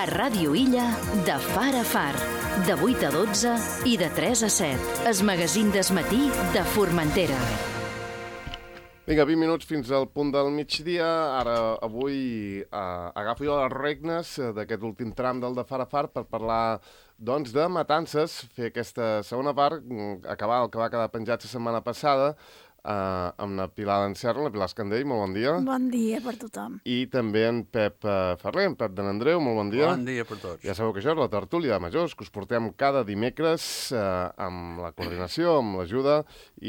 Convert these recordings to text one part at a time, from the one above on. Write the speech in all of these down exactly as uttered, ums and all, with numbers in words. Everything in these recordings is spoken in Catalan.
A Ràdio Illa, de far a far, de vuit a dotze i de tres a set. Es magazín d'esmatí de Formentera. Vinga, vint minuts fins al punt del migdia. Ara, avui, eh, agafo jo les regnes d'aquest últim tram del de far a far per parlar, doncs, de matances, fer aquesta segona part, acabar el que va quedar penjat la setmana passada, Uh, amb la Pilar d'Encerra, la Pilar Escandell, molt bon dia. Bon dia per tothom. I també en Pep uh, Ferrer, en Pep de n'Andreu, molt bon dia. Bon dia per tots. Ja sabeu que això és la tertúlia de majors, que us portem cada dimecres uh, amb la coordinació, amb l'ajuda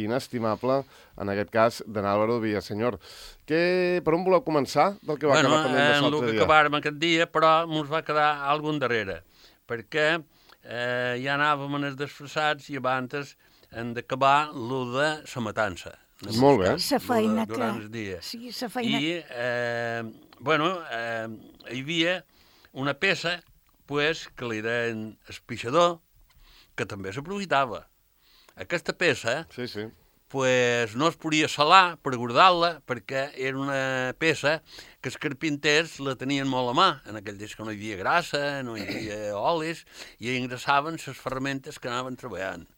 inestimable, en aquest cas, d'en Álvaro Villasenyor. Que, per on voleu començar del que va bueno, acabar pendent de l'altre dia? Bueno, el que acabàrem aquest dia, però ens va quedar algun darrere, perquè eh, ja anàvem en els desfressats i abans hem d'acabar lo de la matança. Molt bé. La feina que... Durant el dia. Sí, la feina... I, eh, bueno, eh, hi havia una peça, pues, que li deien espixador, que també s'aprofitava. Aquesta peça, sí, sí. pues, no es podia salar per guardar-la, perquè era una peça que els carpinters la tenien molt a mà. En aquell temps que no hi havia grassa, no hi havia olis, i engrassaven les ferramentes que anaven treballant.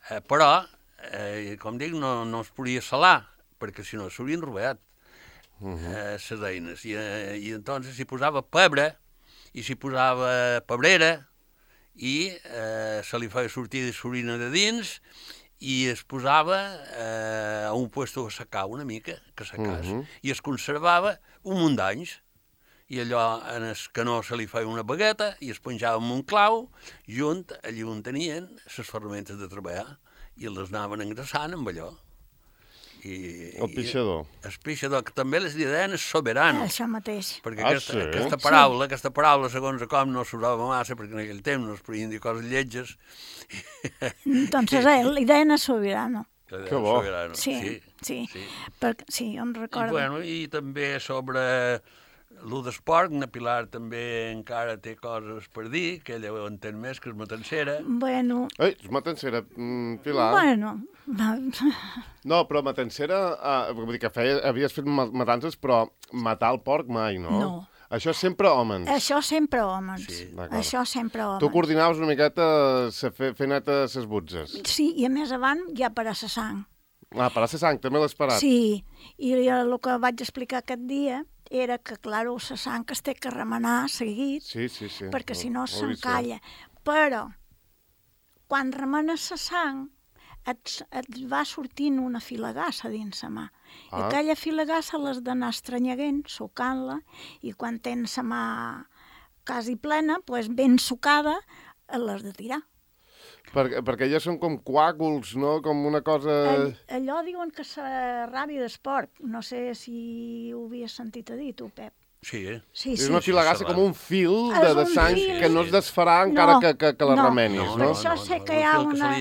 Eh, però, eh, com dic, no, no es podia salar, perquè si no s'haurien robat uh -huh. eh, les eines. I, eh, i entonces s'hi posava pebre, i s'hi posava pebrera, i eh, se li feia sortir de l'orina de dins, i es posava eh, a un puesto a secar una mica, que secàs, uh -huh. i es conservava un munt d'anys. I allò en el canó se li feia una bagueta i es penjava amb un clau, junt, allí on tenien les ferramentes de treballar, i les anaven engrassant amb allò. I, el pixador. I el pixador, que també les deien el soberano. Això mateix. Perquè ah, aquesta, sí? aquesta paraula, sí. aquesta paraula, segons com, no s'usava massa, perquè en aquell temps no es podien dir coses lletges. Entonces, eh, li deien el soberano. Que bo. Soberano. Sí, sí, sí. sí. Perquè, sí, em recordo. I, bueno, i també sobre... Lo d'esport, na Pilar també encara té coses per dir, que ella ho entén més que és matancera. Bueno... Ei, és matancera, mm, Pilar. Bueno... No, però matancera, uh, vull dir que feia, havies fet matances, però matar el porc mai, no? No. Això sempre homes. Això sempre homes. Sí. Això sempre homes. Tu coordinaves una miqueta fer neta ses butzes. Sí, i a més avant ja per a la sang. Ah, per a la sang, també l'has parat. Sí, i el que vaig explicar aquest dia era que, clar, la sang es té que remenar seguit, sí, sí, sí. perquè si no s'encalla. Però, quan remenes la sang, et, et va sortint una filagassa dins la mà. Ah. I aquella filagassa l'has d'anar estranyeguent, sucant-la, i quan tens la mà quasi plena, pues, ben sucada, l'has de tirar. Per, perquè ja són com coàguls, no? Com una cosa... All, allò diuen que és la ràbia d'esport. No sé si ho havies sentit a dir, tu, Pep. Sí, eh? Sí, és sí. una filagassa sí, com un fil de, de sang fil. que no es desfarà encara no, que, que, que la no. remenis, no? no? Per això no, sé no, que hi ha no, una...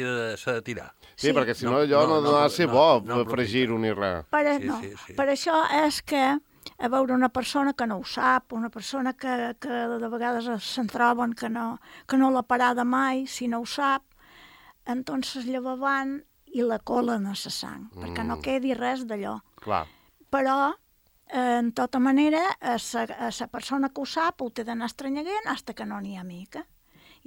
S'ha de, de tirar. Sí, sí, perquè si no, no, allò no, no, no, no ha de ser bo no, no, fregir-ho ni res. Per, Sí, no, sí, sí. per això és que a veure una persona que no ho sap, una persona que, que de vegades se'n troben que no, que no l'ha parada mai, si no ho sap, entonces llevaven i la colen a la sang, mm. perquè no quedi res d'allò. Clar. Però, eh, en tota manera, a la persona que ho sap ho té d'anar estranyeguent fins que no n'hi ha mica.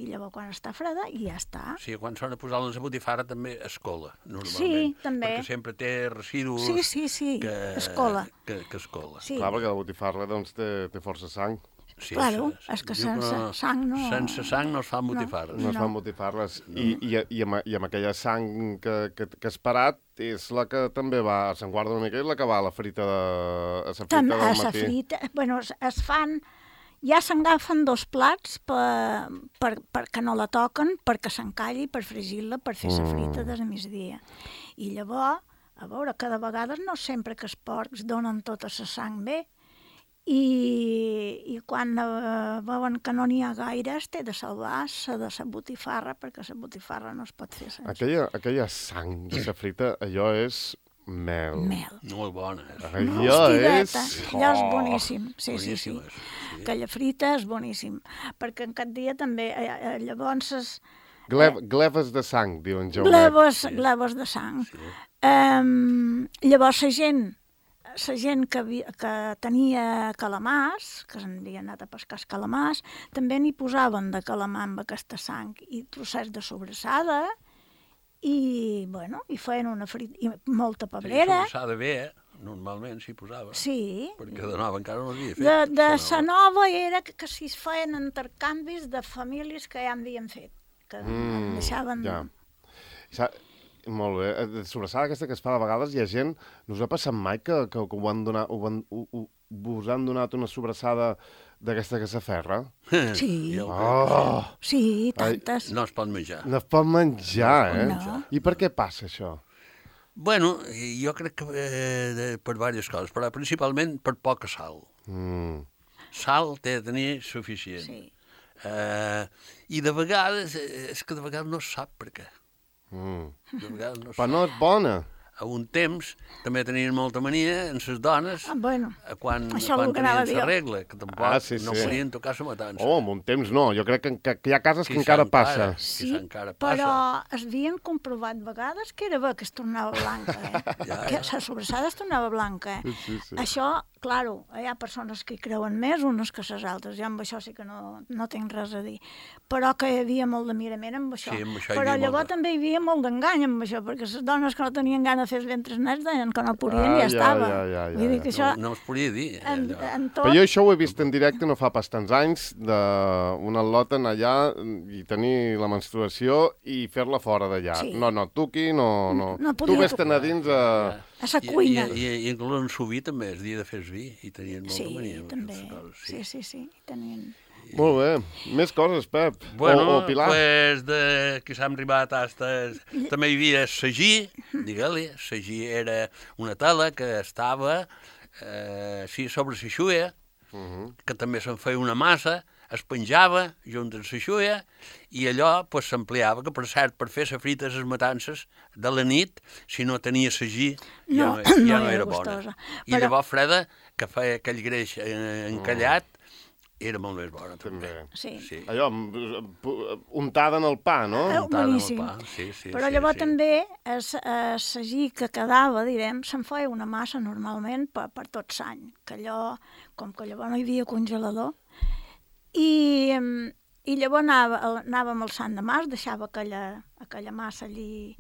I llavors quan està freda i ja està. Sí, quan s'ha de posar la botifarra també es cola, normalment. Sí, també. Perquè sempre té residus Sí, sí, sí, que es cola. Que, que es cola. Sí. Clar, perquè la botifarra doncs, té, té força sang. Sí, Claro, se, és que diu sense no, sang no... Sense sang no es fan botifarres. No es No. fan botifarres. I, i, i, amb, I amb aquella sang que, que, que has parat és la que també va, se'n guarda una mica, és la que va a la frita, de, a la frita Tam, del a matí. la frita, bueno, es, es fan... Ja s'agafen dos plats per, per, perquè no la toquen, perquè s'encalli, per fregir-la, per fer la frita de migdia. I llavors, a veure, cada vegada no sempre que els porcs donen tota la sang bé, i, i quan eh, veuen que no n'hi ha gaire es té de salvar la de la botifarra, perquè la botifarra no es pot fer sense. Aquella, aquella sang de la frita, allò és mel. Mel. Molt bona. Eh? Allò és... Allò és boníssim, sí, sí, sí. Boníssima, sí. Aquella frita és boníssim, perquè en aquest dia també, eh, eh, llavors... Es, Gle, gleves de sang, diuen Jaumet. Gleves, gleves de sang. Sí. Um, llavors la gent la gent que, havia, que tenia calamars, que s'havien anat a pescar els calamars, també n'hi posaven de calamar amb aquesta sang i trossets de sobrassada i, bueno, i feien una frita, i molta pebrera. Sí, sobrassada bé, eh? Normalment s'hi posava. Sí. Perquè de nova encara no havia fet. De, de sa nova era que, que s'hi feien intercanvis de famílies que ja havien fet, que mm, deixaven... Ja. Sa Molt bé. De sobrassada aquesta que es fa de vegades, hi ha gent... No us ha passat mai que, que, que ho han donat, ho han, ho, ho, us han donat una sobrassada d'aquesta que s'aferra? Sí. Oh! Sí, tantes. No es pot menjar. No es pot menjar, eh? No. I per què passa això? Bueno, jo crec que eh, de, per diverses coses, però principalment per poca sal. Mm. Sal té de tenir suficient. Sí. Eh, I de vegades, eh, és que de vegades no es sap per què. Mm. De vegades no es Però sap. no és bona. A un temps també tenien molta mania en les dones Ah, bueno, quan, això quan el que anava a tenien dir la jo. regla, que tampoc Ah, sí, no sí. podien tocar la matança. Oh, en un temps no. Jo crec que, que, que hi ha cases que Sí, encara encara. passa. Sí, Sí, encara passa. però es havien comprovat vegades que era bé que es tornava blanca, eh? Ja, Que ja. la sobrassada es tornava blanca, eh? Sí, sí, sí. Això, claro, hi ha persones que hi creuen més, unes que les altres, jo amb això sí que no, no tinc res a dir, però que hi havia molt de mirament amb això. Sí, amb això hi Però havia llavors molt de- també hi havia molt d'engany amb això, perquè les dones que no tenien gana de fer els ventres nets deien que no podien Ah, i ja, ja, estava. ja, ja, ja, Vull dir ja. que això, No, no es podia dir. eh, en, allò. en tot... Però jo això ho he vist en directe no fa pas tants anys, d'una lota allà i tenir la menstruació i fer-la fora d'allà. Sí. No, no, tu aquí no... no. No tu podia vés-te'n a dins a... A sa I- cuina. I, i, i inclús en suvi també es dia de fer vi i tenien molta Sí, mania. amb també. aquestes coses, Sí, sí, sí. Tenien... Molt bé. Més coses, Pep. Bueno, o, o Pilar. pues de que s'han arribat hasta... També hi havia sagí, digue-li. Sagí era una tela que estava eh, sí, sobre la xuia, Uh -huh. que també se'n feia una massa, es penjava junt amb la xuia i allò pues, s'ampliava, que per cert, per fer la frita les matances de la nit, si no tenia sagí, ja No, no, ja no no, era era bona. gustosa. I Però- llavors freda, que feia aquell greix eh, encallat, era molt més bona també. També. Sí. Sí. Allò, amb- pu- untada en el pa, no? Eh, Untada amb el boníssim. pa, sí, sí, Però sí, llavors sí. també es, el sagí que quedava, direm, se'n feia una massa normalment per, per tot l'any, que allò, com que llavors no hi havia congelador, i, em, i llavors anava, el- anàvem al Sant de Març, deixava aquella, aquella massa allí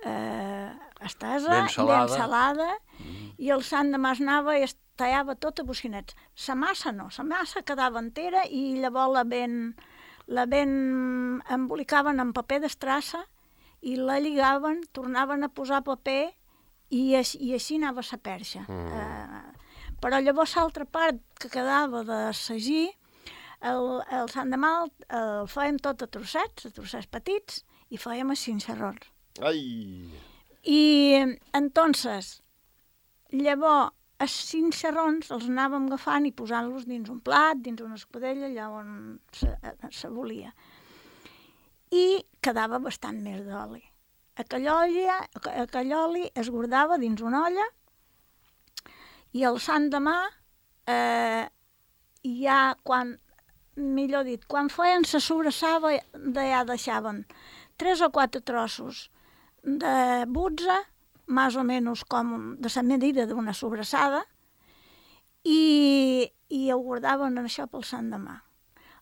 eh, estesa, Ben salada. ben salada mm. i el Sant de Març anava i es tallava tot a bocinets. La massa no, la massa quedava entera i llavors la ben, la ben embolicaven en paper d'estrassa i la lligaven, tornaven a posar paper i, així, i així anava la perxa. Mm. Eh, però llavors l'altra part que quedava de sagí, el, el Sant de Mal el fèiem tot a trossets, a trossets petits, i fèiem els cinxarrons. Ai! I entonces, llavors, els cinxarrons els anàvem agafant i posant-los dins un plat, dins una escudella, allà on se, se volia. I quedava bastant més d'oli. Aquell oli, aquell oli es guardava dins una olla i el Sant Demà, eh, ja quan, millor dit, quan feien la sobrassada, ja deixaven tres o quatre trossos de butza, més o menys com de la medida d'una sobrassada, i, i ho guardaven això pel Sant Demà.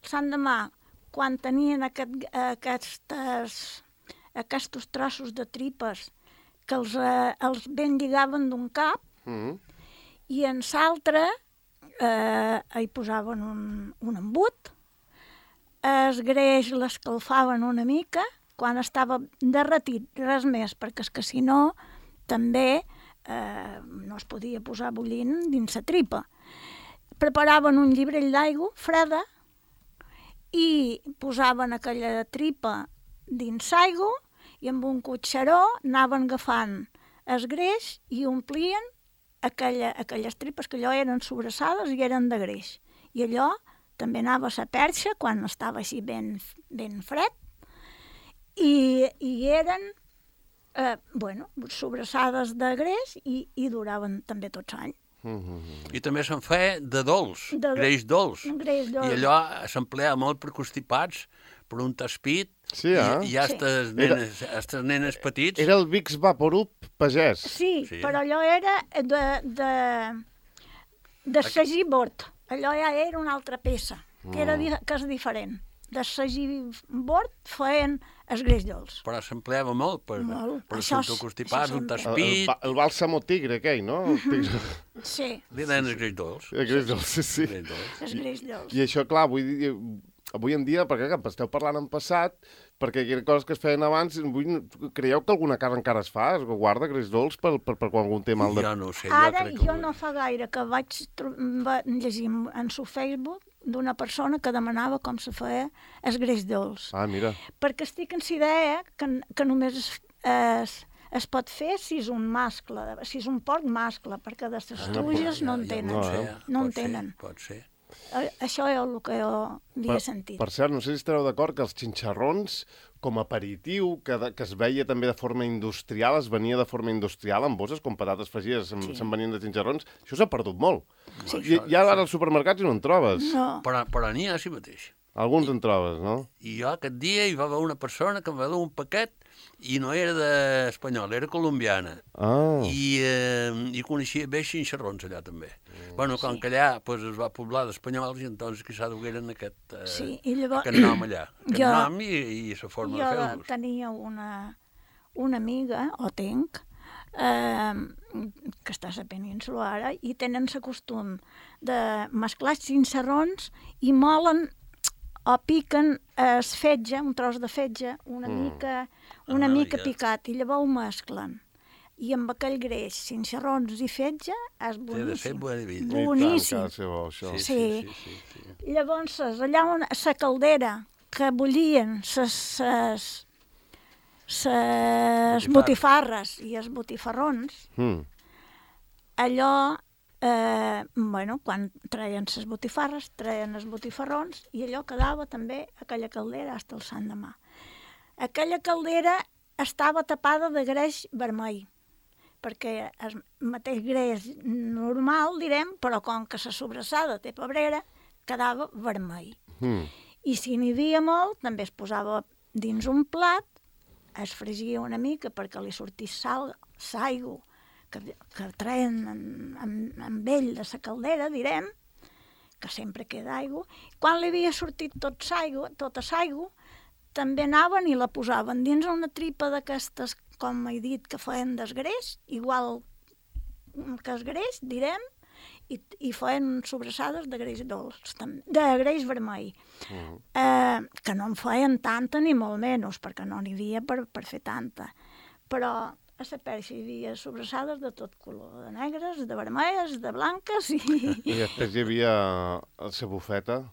El Sant Demà, quan tenien aquest, aquestes, aquests trossos de tripes que els, eh, els ben lligaven d'un cap, Mm. i en l'altre eh, hi posaven un, un embut, es greix l'escalfaven una mica, quan estava derretit, res més, perquè és que si no també eh, no es podia posar bullint dins la tripa. Preparaven un llibrell d'aigua freda i posaven aquella tripa dins l'aigua i amb un cotxeró anaven agafant el greix i omplien aquella, aquelles tripes que allò eren sobrassades i eren de greix. I allò també anava a la perxa quan estava així ben, ben fred i, i eren eh, bueno, sobrassades de greix i, i duraven també tot l'any. Mm-hmm. I també se'n feia de dolç, De- greix dolç. greix dolç. I allò s'empleava molt per constipats, per un taspit, Sí, eh? i, i a Sí. estes nenes, a estes nenes petits. Era el Vicks Vaporub pagès. Sí, Sí. però allò era de, de, de sagí bord. Allò ja era una altra peça, que, era, di- que és diferent. De sagí bord feien els greix dolç. Però s'empleava molt per, Molt. per Això els és- constipats, això un sempre. El, el, taspit, ba- el bàlsamo tigre, aquell, no? El tigre. Sí, li deien els greix dolç. El greix dolç, sí, sí. Greix dolç. els greix dolç. I això, clar, vull dir, avui en dia, perquè clar, esteu parlant en passat, perquè hi ha coses que es feien abans, vull, creieu que alguna casa encara es fa? Es guarda greix dolç per, per, per quan algun té mal de... Jo no ho sé, jo Ara crec que... jo no fa gaire que vaig tro- va llegir en su Facebook d'una persona que demanava com se feia el greix dolç. Ah, mira. Perquè estic en la idea que, que només es, es, es pot fer si és un mascle, si és un porc mascle, perquè de les truges no en tenen. no, sé, eh? No en pot ser, tenen. Pot ser. Eh, Això és el que jo havia sentit. Per cert, no sé si estareu d'acord que els xinxarrons, com a aperitiu, que, de, que es veia també de forma industrial, es venia de forma industrial en bosses, com patates fregides, se'n Sí. se venien de xinxarrons, això s'ha perdut molt. Sí. I, ja ara als supermercats no en trobes. No. Però, però n'hi ha així mateix. Alguns en trobes, no? I jo aquest dia hi va haver una persona que em va dur un paquet i no era d'espanyol, era colombiana. Ah, I, eh, i coneixia bé xinxarrons allà també. Mm, bueno, com sí. que allà pues, es va poblar d'espanyols i entonces quizà dugueren aquest, eh, Sí, i llavors... aquest nom allà. Aquest Jo- nom i, i la forma Jo de fer-los. tenia una, una amiga, o tinc, eh, que està a la península ara, i tenen el costum de mesclar xinxarrons i molen o piquen es fetge, un tros de fetge, una Mm. mica, una Ah, mica ja. picat, i llavors ho mesclen. I amb aquell greix, xinxarrons i fetge, és Té de ser boníssim. boníssim. i tant, Boníssim. que ha de ser bo, això. Sí, Sí. sí, sí, sí, sí. Llavors, allà on la caldera que bullien ses, ses, ses botifarres i els botifarrons, Mm. allò, eh, bueno, quan treien les botifarres, treien els botifarrons i allò quedava també aquella caldera fins al sant demà. Aquella caldera estava tapada de greix vermell, perquè el mateix greix normal, direm, però com que la sobrassada té pebrera, quedava vermell. Mm. I si n'hi havia molt, també es posava dins un plat, es fregia una mica perquè li sortís sal, saigo, que, que treien amb, amb, amb ell de la caldera, direm, que sempre queda aigua. Quan li havia sortit tot saigo, tota saigo, també anaven i la posaven dins una tripa d'aquestes, com he dit, que feien desgreix, igual que es greix, direm, i, i feien sobrassades de greix dolç, tam- de greix vermell. Mm. Eh, que no en feien tanta ni molt menys, perquè no n'hi havia per, per fer tanta. Però a la perxa hi havia sobrassades de tot color, de negres, de vermelles, de blanques, i I després hi havia la bufeta,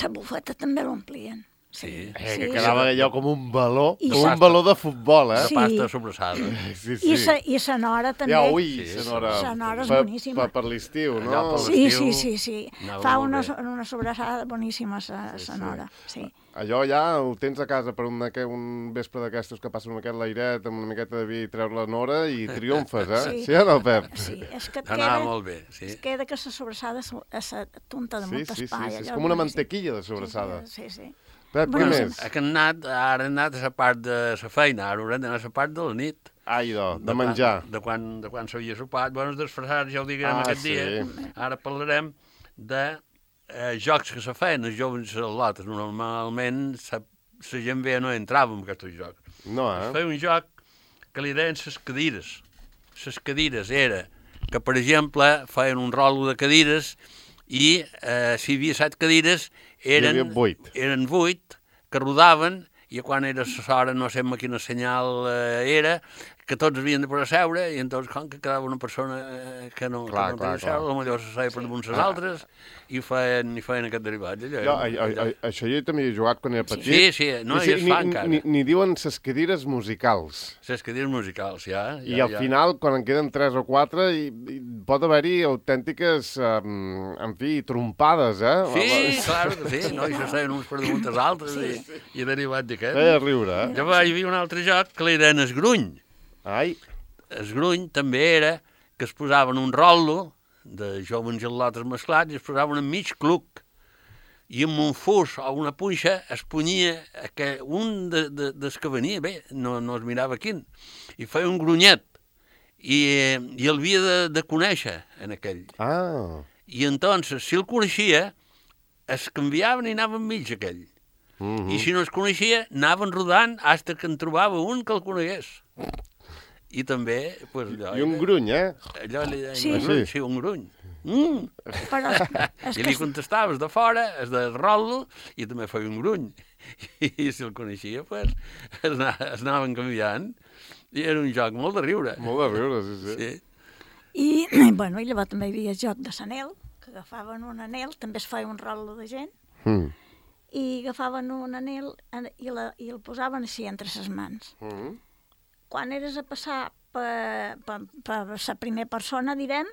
la bufeta també l'omplien. Sí. eh, que quedava allò com un baló, I com sa- un baló de futbol, eh? De Sí. pasta sobrassada. Sí, I sa, i sa nora també. Ja, ui, Sí, Sonora. Sonora és per, boníssima. Per, per l'estiu, no? Allà pel- Sí, l'estiu sí, sí, sí. anava Fa molt una, bé. una sobrassada boníssima, sa, Sí, sa sí. nora. Sí. Allò ja ho tens a casa per un, aqu- un vespre d'aquestos que passen amb aquest l'airet, amb una miqueta de vi i treus la nora i triomfes, eh? Sí. Sí o no, Pep? Sí, és que et Anava queda, molt bé, sí. es queda que la sobrassada és a la tunta de Sí, molt sí, sí, espai. sí, és allò com una boníssim. mantequilla de sobrassada. Sí, sí. sí. Pep, què Bueno, més? Ha anat, ara hem anat a la part de la feina, ara haurem d'anar a la part de la nit. Ai, do, de quan- menjar. De quan, de quan s'havia sopat. Bueno, els disfressats ja ho diguem Ah, aquest sí. dia. Ara parlarem de eh, jocs que se feien, els joves a lotes. Normalment la gent veia no entrava en aquests jocs. No, Es eh? feia un joc que li deien les cadires. Les cadires era que, per exemple, feien un rolo de cadires i eh, si hi havia set cadires eren, Hi havia vuit. eren vuit que rodaven i quan era l'hora no sé amb quina senyal eh, era, que tots havien de poder seure i entonces com que quedava una persona eh, que no, Clar, que no clar, podia seure, clar. potser se seia per damunt les Ah. altres i feien, i feien aquest derivat. Allò, Jo, a, era- a, a, això jo també he jugat quan era petit. Sí, sí, no, I i es fa ni, encara. ni, ni diuen ses cadires musicals. les cadires musicals, ja. ja I al ja. final, quan en queden tres o quatre, i, i pot haver-hi autèntiques, um, en fi, trompades, eh? Sí, clar que sí, no? I se seien uns per damunt els altres i, i derivat d'aquest. Feia riure, eh? Llavors hi havia un altre joc que li deien esgruny. Ai, Esgruny també era que es posaven un rolo de joves gelotes mesclats i es posaven enmig cluc. I amb un fus o una punxa es punyia que un de, de, des que venia, bé, no, no es mirava quin, i feia un grunyet. I, i el havia de, de conèixer, en aquell. Ah. I entonces, si el coneixia, es canviaven i anaven enmig aquell. Uh -huh. I si no es coneixia, anaven rodant fins que en trobava un que el conegués. I també, pues, allò... I un gruny, eh? Allò li deien, Sí. un gruny, sí, un gruny. Mm. Però és I que li contestaves de fora, es de rol i també feia un gruny. I, i si el coneixia, pues, es, anava, es anaven canviant. I era un joc molt de riure. Molt de riure, sí, sí. Sí. I, bueno, i llavors també hi havia el joc de l'anel, que agafaven un anel, també es feia un rol de gent, Mm. i agafaven un anel i, la, i el posaven així entre les mans. Mm. Quan eres a passar per, per, per la primera persona, direm,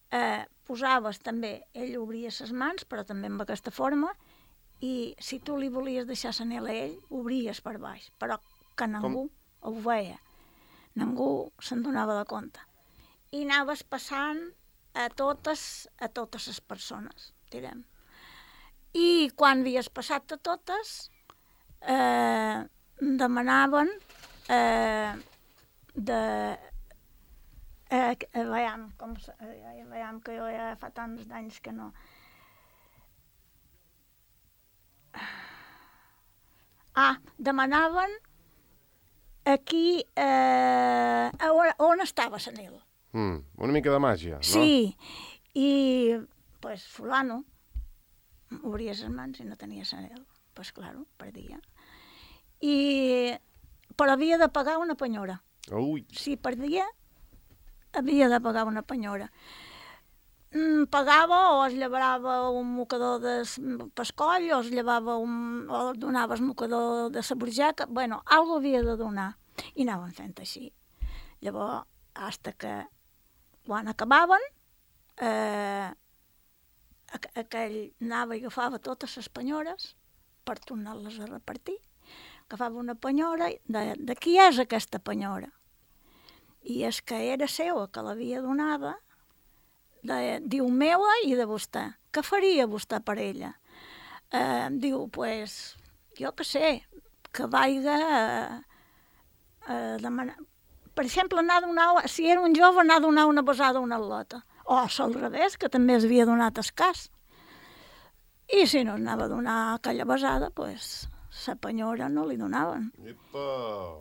eh, posaves també, ell obria les mans, però també amb aquesta forma, i si tu li volies deixar l'anel a ell, obries per baix, però que ningú ho veia. Ningú se'n donava de compte. I anaves passant a totes, a totes les persones, direm. I quan havies passat a totes, eh, demanaven eh, de... Eh, eh, veiem, com, eh, veiem que jo ja fa tants d'anys que no... Ah, demanaven aquí eh, on, on estava l'anel. Mm. Una mica de màgia, no? Sí, i pues fulano obria les mans i no tenia l'anel. Pues claro, perdia. I, però havia de pagar una penyora. Ui. Si perdia, havia de pagar una penyora. Mm, pagava o es llevava un mocador de pescoll o es llevava un, o donava el mocador de la burjaca. Bueno, algo havia de donar. I anaven fent així. Llavors, fins que quan acabaven, eh, aquell anava i agafava totes les penyores per tornar-les a repartir. Agafava una penyora i de, de qui és aquesta penyora? I és que era seva, que l'havia donada, de, diu, meua i de vostè. Què faria vostè per ella? Eh, diu, pues, jo què sé, que vaiga a, a demanar... Per exemple, anar a donar, si era un jove, anar a donar una besada a una atleta. O al revés, que també es havia donat el cas. I si no anava a donar aquella besada, pues, la penyora no li donaven. Epa!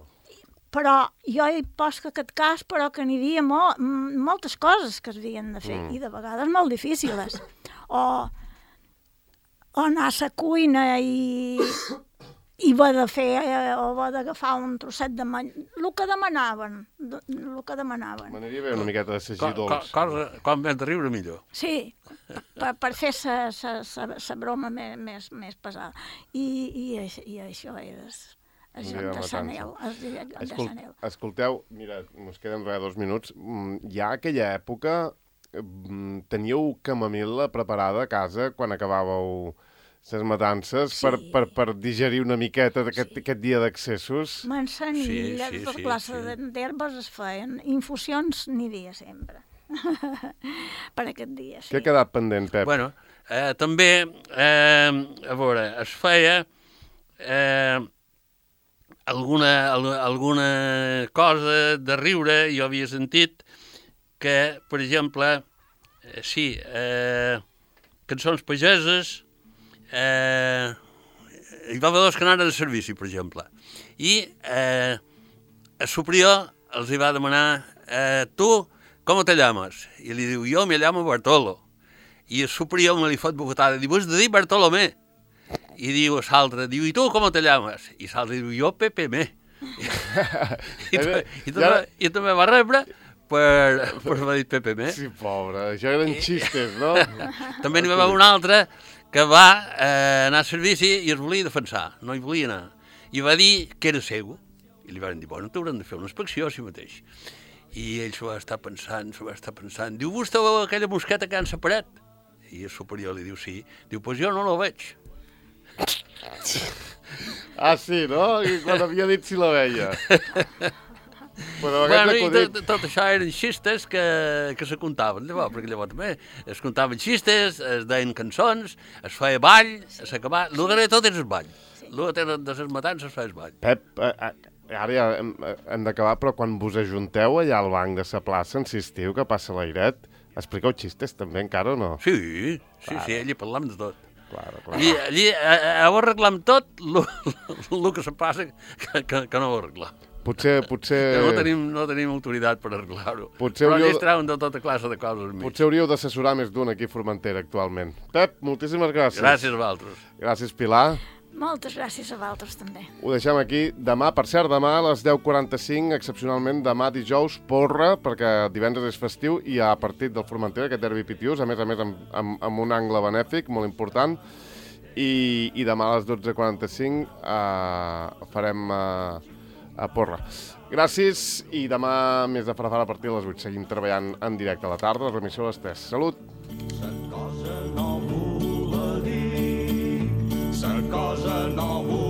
Però jo hi poso aquest cas, però que n'hi havia mo moltes coses que es havien de fer, mm. i de vegades molt difícils. O, o anar a la cuina i, i va de fer, eh, o va d'agafar un trosset de many... El que demanaven, el que demanaven. M'aniria bé una miqueta de sagir dolç. Cosa, quan més de riure, millor. Sí, per, per fer la broma més, més, més pesada. I, i, i això era... El joc de l'anel. Escol escolteu, mira, ens queden res dos minuts. Ja a aquella època teníeu camamil·la preparada a casa quan acabàveu les matances, sí. per, per, per digerir una miqueta d'aquest sí. aquest dia d'accessos? Manzanilla, sí, sí, tota sí, classe sí. d'herbes es feien. Infusions n'hi havia sempre. Per aquest dia, sí. Què ha quedat pendent, Pep? Bueno, eh, també, eh, a veure, es feia... Eh, Alguna, alguna cosa de riure, jo havia sentit que, per exemple, eh, sí, eh, cançons pageses, eh, hi va haver dos que anaren a servici, per exemple, i eh, a superior els hi va demanar, eh, tu, com te llames? I li diu, jo me llamo Bartolo. I el superior me li fot bocatada, diu, has de dir Bartolomé. I diu a l'altre, diu, i tu com te llames? I l'altre diu, jo Pepe Me. I, i, també, I també va rebre per, per haver dit Pepe Me. Sí, pobre, això eren xistes, no? També n'hi va haver un altre que va eh, anar a servici i es volia defensar, no hi volia anar. I va dir que era seu. I li van dir, bueno, t'hauran de fer una inspecció a si mateix. I ell s'ho va estar pensant, s'ho va estar pensant. Diu, vostè veu aquella mosqueta que han separat? I el superior li diu, sí. Diu, doncs jo no la veig. Ah, sí, no? I quan havia dit si la veia. Però Bueno, aquests i acudits... tot, tot això eren xistes que, que se contaven, llavors, perquè llavors també es contaven xistes, es deien cançons, es feia ball, s'acabava... El darrer tot és el ball. El darrer de les matances es feia el ball. Pep, eh, eh, ara ja hem, hem d'acabar, però quan vos ajunteu allà al banc de sa plaça, insistiu que passa l'airet, expliqueu xistes també encara o no? Sí, sí, claro. Sí, allí parlam de tot. Claro, claro. Allí, allí eh, ho arreglam tot, el que se passa que, que, que no ho arreglam. Potser, potser... Que no tenim, no tenim autoritat per arreglar-ho. Potser Però allí hauríeu... es treuen de tota classe de coses més. Potser hauríeu d'assessorar més d'un aquí a Formentera actualment. Pep, moltíssimes gràcies. Gràcies a vosaltres. Gràcies, Pilar. Moltes gràcies a vosaltres, també. Ho deixem aquí. Demà, per cert, demà a les deu quaranta-cinc, excepcionalment, demà dijous, porra, perquè divendres és festiu i a partit del Formentera, aquest derbi pitiús, a més a més amb, amb, amb un angle benèfic molt important, i, i demà a les dotze quaranta-cinc eh, farem eh, a porra. Gràcies, i demà més de Farafara a partir de les vuit. Seguim treballant en directe a la tarda, la remissió a les tres. Salut! Sa cosa no vola dir, sa cosa no vola